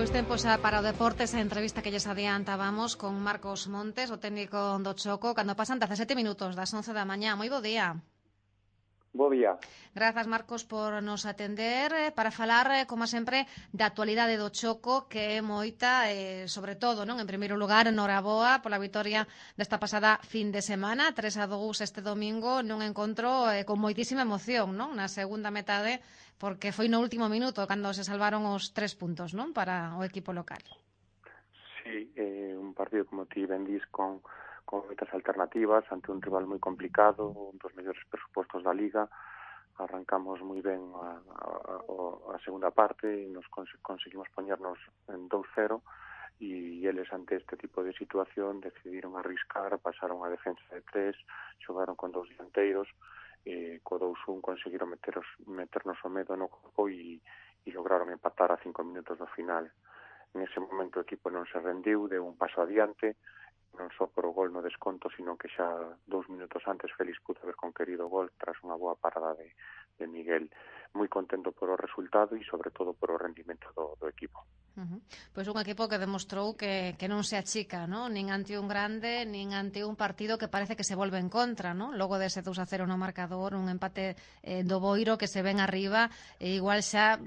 Pois tempo xa para o deporte, esa entrevista que lles adiantábamos con Marcos Montes, o técnico do Choco, cando pasan 17 minutos das 11 da mañá. Moi bo día. Bo día. Grazas, Marcos, por nos atender para falar, como sempre, da actualidade do Choco, que é moita, sobre todo, non? En primeiro lugar, noraboa pola vitoria desta pasada fin de semana, 3-2 este domingo, nun encontro con moitísima emoción, non? Na segunda metade, porque foi no último minuto cando se salvaron os 3 puntos, non? Para o equipo local. Sí, un partido, como ti ben dis, con moitas alternativas ante un rival moi complicado, un dos mellores presupostos da Liga. Arrancamos moi ben a segunda parte e nos conseguimos poñernos en 2-0 e eles ante este tipo de situación decidiron arriscar, pasaron a defensa de 3, xogaron con 2 dianteiros, co 2-1 conseguiron meternos o medo no corpo e lograron empatar a 5 minutos do final. En ese momento o equipo non se rendiu, deu un paso adiante, non só por o gol no desconto, sino que xa 2 minutos antes Félix pudo haber conquerido o gol tras unha boa parada de Miguel. Moi contento por o resultado e sobre todo por o rendimento do equipo. Pois un equipo que demostrou que non se achica, non? Nin ante un grande, nin ante un partido que parece que se volve en contra, non? Logo dese 2-0 no marcador, un empate do Boiro que se ven arriba, e igual xa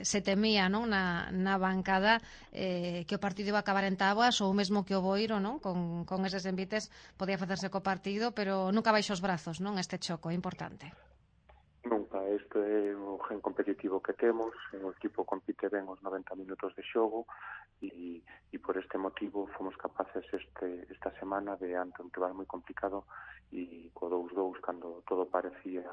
se temía, non? Na bancada que o partido iba a acabar en táboas, ou mesmo que o Boiro, non? Con eses envites podía facerse co partido, pero nunca baixo os brazos, non? Este choco é importante. Nunca, este é o gen competitivo que temos, o equipo compite ben os 90 minutos de xogo e por este motivo fomos capaces esta semana de, ante un rival moi complicado e co 2-2, cando todo parecía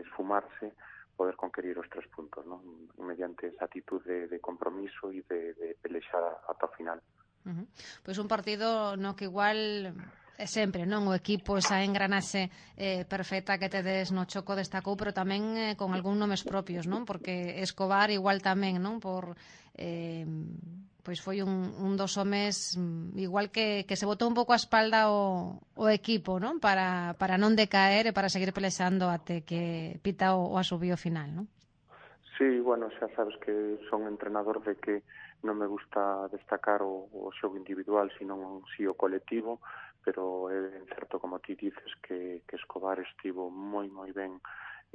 esfumarse, poder conquerir os 3 puntos, non? Mediante esa actitud de compromiso e de pelexar ata o final. Pois un partido no que igual sempre, non? O equipo, esa engranaxe perfecta que tedes no Choco destacou, pero tamén con algún nomes propios, non? Porque Escobar igual tamén, non? Por pois foi un dos homes igual que se botou un pouco a espalda o equipo, non? Para non decaer e para seguir pelexando até que pita o asubío final, non? Sí, bueno, xa sabes que son entrenador de que non me gusta destacar o xogo individual, sino si o colectivo, pero é certo, como ti dices, que Escobar estivo moi ben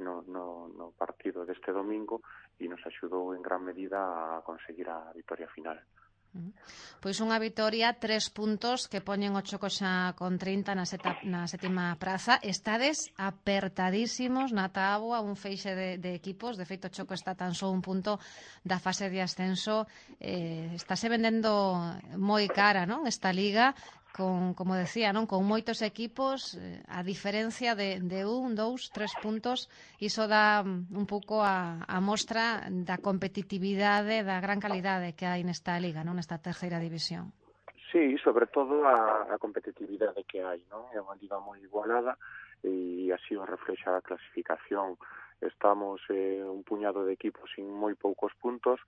no partido deste domingo e nos axudou en gran medida a conseguir a vitoria final. Pois unha vitoria, 3 puntos que poñen o Choco xa con 30 na sétima praza. Estades apertadísimos na táboa, un feixe de equipos. De feito, o Choco está tan só un punto da fase de ascenso. Estáse vendendo moi cara, non? Esta liga, como decía, non? Con moitos equipos, a diferencia de 1, 2, 3 puntos, iso dá un pouco a mostra da competitividade, da gran calidade que hai nesta liga, non? Nesta terceira división. Sí, sobre todo a competitividade que hai, non? É unha liga moi igualada e así o reflexa a clasificación. Estamos un puñado de equipos sin moi poucos puntos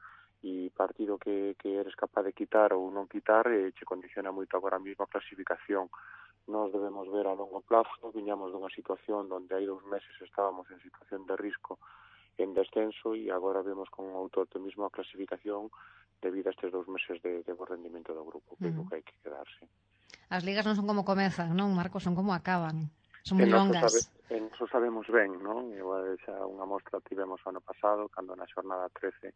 e partido que eres capaz de quitar ou non quitar che condiciona moito agora mesmo a clasificación. Nos debemos ver a longo plazo, viñamos dunha situación onde hai 2 meses estábamos en situación de risco en descenso e agora vemos con outro optimismo a clasificación debido a estes 2 meses de bo rendimento do grupo, que é o que hai que quedarse. As ligas non son como comezan, non, Marcos? Son como acaban. Son moi longas. Eso sabemos ben, non? Igual xa unha mostra tivemos o ano pasado, cando na xornada 13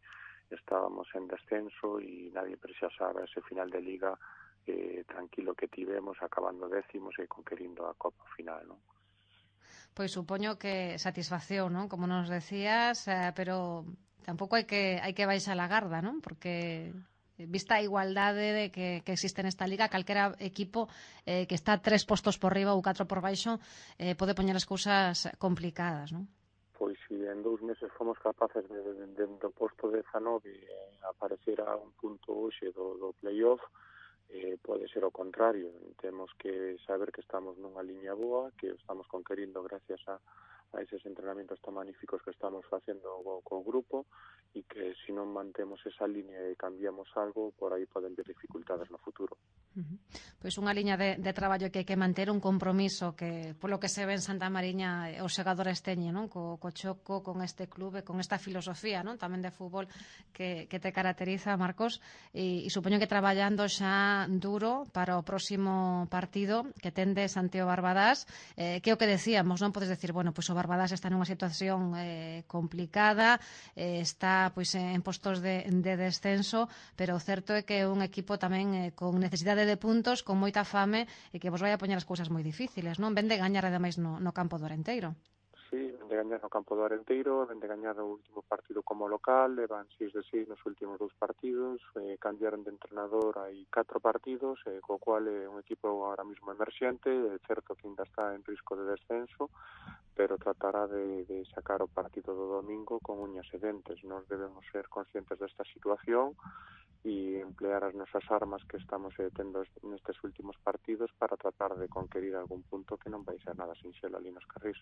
estábamos en descenso e nadie precisaba ese final de liga tranquilo que tivemos, acabando décimos e conquerindo a Copa final, non? Pois supoño que satisfacción, non? Como nos decías, pero tampouco hai que baixar a garda, non? Porque vista a igualdade de que existe nesta liga, calquera equipo que está 3 postos por riba ou 4 por baixo pode poñer as cousas complicadas, non? Pois si en 2 meses fomos capaces do posto 19 aparecer a un punto hoxe do playoff, pode ser o contrario. Temos que saber que estamos nunha liña boa, que estamos conquerindo gracias a eses entrenamentos tan magníficos que estamos facendo co grupo e que se non mantemos esa liña e cambiamos algo, por aí poden ver dificultades no futuro. Pois unha liña de traballo que hai que manter, un compromiso que, polo que se ve en Santa Mariña, os xogadores teñen, non? Co Choco, con este clube, con esta filosofía, non? Tamén de fútbol que te caracteriza, Marcos, e supoño que traballando xa duro para o próximo partido que tendes ante o Barbadás, que é o que decíamos, non podes decir, bueno, pois o Barbadás está nunha situación complicada, está pois en postos de descenso, pero o certo é que é un equipo tamén con necesidade de puntos, con moita fame e que vos vai a poñer as cousas moi difíciles, non? Ven de gañar ademais no campo do Arenteiro. Sí, ven de gañar no campo do Arenteiro, ven de gañar o último partido como local, levan 6 de 6 nos últimos 2 partidos, cambiaron de entrenador hai 4 partidos, co cual é un equipo ahora mismo emerxente, é certo que ainda está en risco de descenso, pero tratará de sacar o partido do domingo con uñas e dentes. Nos debemos ser conscientes desta situación e emplear as nosas armas que estamos tendo nestes últimos partidos para tratar de conquerir algún punto que non vai ser nada sinxelo ali nos Carrís.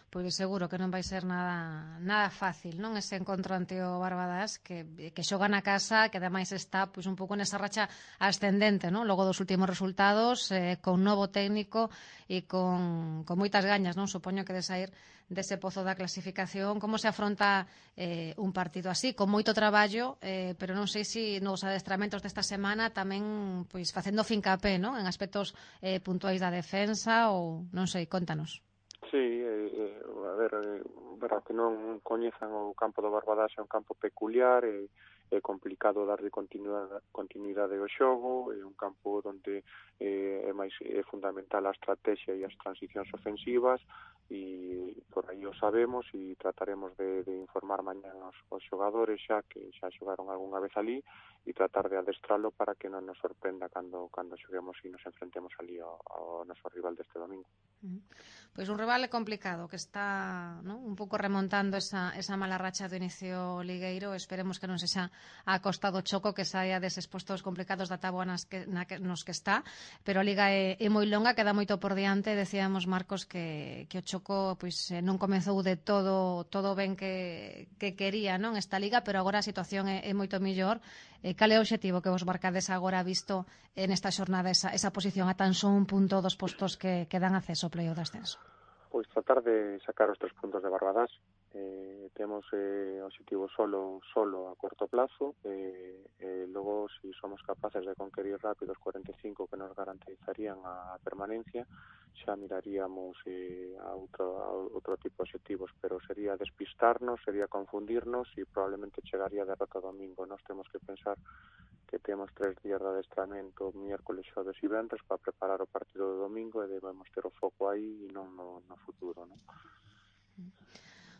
Pois seguro que non vai ser nada fácil, non? Ese encontro ante o Barbadás que xoga na casa, que ademais está pois un pouco nesa racha ascendente, non? Logo dos últimos resultados, con novo técnico e con moitas gañas, non? Supoño que de sair dese pozo da clasificación. Como se afronta un partido así, con moito traballo, pero non sei se nos adestramentos desta semana tamén pois facendo fincapé, non? En aspectos puntuais da defensa ou non sei, contanos. Sí, a ver, para que non coñezan o campo do Barbadás, é un campo peculiar, é complicado darlle continuidade ao xogo, é un campo onde é fundamental a estrategia e as transicións ofensivas, e por aí o sabemos e trataremos de informar mañán aos xogadores xa que xa xogaron algunha vez ali e tratar de adestralo para que non nos sorprenda cando xoguemos e nos enfrentemos ali ao noso rival deste domingo. Pois un rival complicado que está, non, un pouco remontando esa mala racha do inicio ligueiro. Esperemos que non sexa a costa do Choco, que saia deses postos complicados da táboa nos que está, pero a liga é moi longa, queda moito por diante. Decíamos, Marcos, que o Choco pois non comezou de todo ben que quería, non, esta liga, pero agora a situación é moito mellor. Cal é o obxectivo que vos marcades agora visto nesta xornada esa posición a tan só un punto dos postos que dan acceso ao play-off de ascenso? Pois tratar de sacar os 3 puntos de Barbadás. Temos obxectivo solo a corto plazo, logo, se somos capaces de conquerir rápido os 45 que nos garantizarían a permanencia, xa miraríamos a outro tipo de obxectivos, pero sería despistarnos, sería confundirnos e probablemente chegaría a derrota domingo. Nós temos que pensar que temos 3 días de adestramento, miércoles, xoves e venres, para preparar o partido do domingo, e debemos ter o foco aí e non no futuro, non?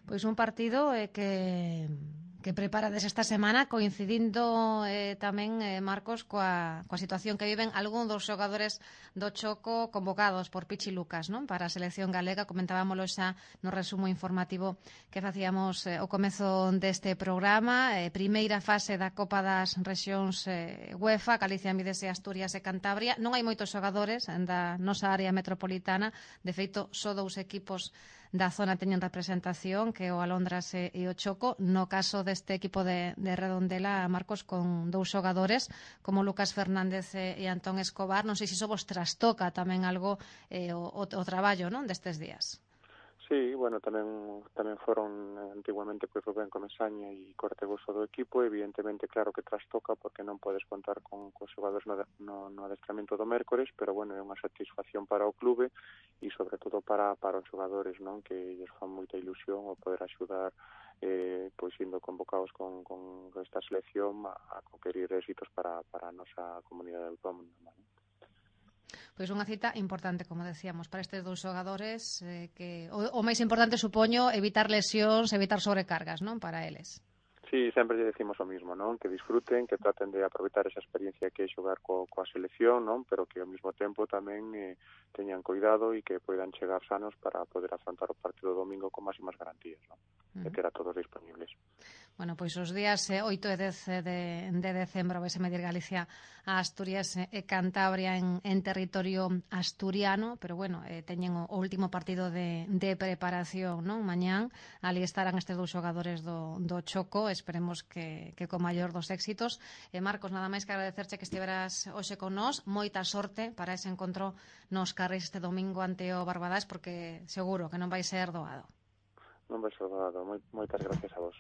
Pois un partido que preparades esta semana, coincidindo tamén, Marcos, coa situación que viven algún dos xogadores do Choco convocados por Pichi Lucas, non? Para a selección galega. Comentábamolo xa no resumo informativo que facíamos ao comezo deste programa. Primeira fase da Copa das Rexións UEFA, Galicia, Mides e Asturias e Cantabria. Non hai moitos xogadores da nosa área metropolitana. De feito, só 2 equipos da zona teñen representación, que é o Alondras e o Choco. No caso deste equipo de Redondela, Marcos, con 2 xogadores como Lucas Fernández e Antón Escobar. Non sei se iso vos trastoca tamén algo o traballo, non, destes días. Sí, bueno, tamén foron antiguamente pois Rubén Comesaña e Cortegoso do equipo. Evidentemente, claro que trastoca porque non podes contar con xogadores no adestramento do mércores, pero bueno, é unha satisfacción para o clube e sobre todo para os xogadores, non, que lles fan moita ilusión o poder axudar pois indo convocados con esta selección a conquerir éxitos para a nosa comunidade autónoma, non? Pois unha cita importante, como decíamos, para estes 2 xogadores, que o máis importante, supoño, evitar lesións, evitar sobrecargas, non, para eles. Sí, sempre lle decimos o mismo, non? Que disfruten, que traten de aproveitar esa experiencia que é xogar coa selección, non? Pero que ao mesmo tempo tamén teñan cuidado e que poidan chegar sanos para poder afrontar o partido domingo con máximas garantías, non? E ter a todos disponibles. Bueno, pois os días 8 e 10 de decembro vai se medir Galicia a Asturias e Cantabria en territorio asturiano, pero bueno, teñen o último partido de preparación, non? Mañán, ali estarán estes 2 xogadores do Choco, esperemos que co maior dos éxitos. Marcos, nada máis que agradecerche que estiveras hoxe con nós, moita sorte para ese encontro nos carris este domingo ante o Barbadás, porque seguro que non vai ser doado. Non vai ser doado, moitas gracias a vos.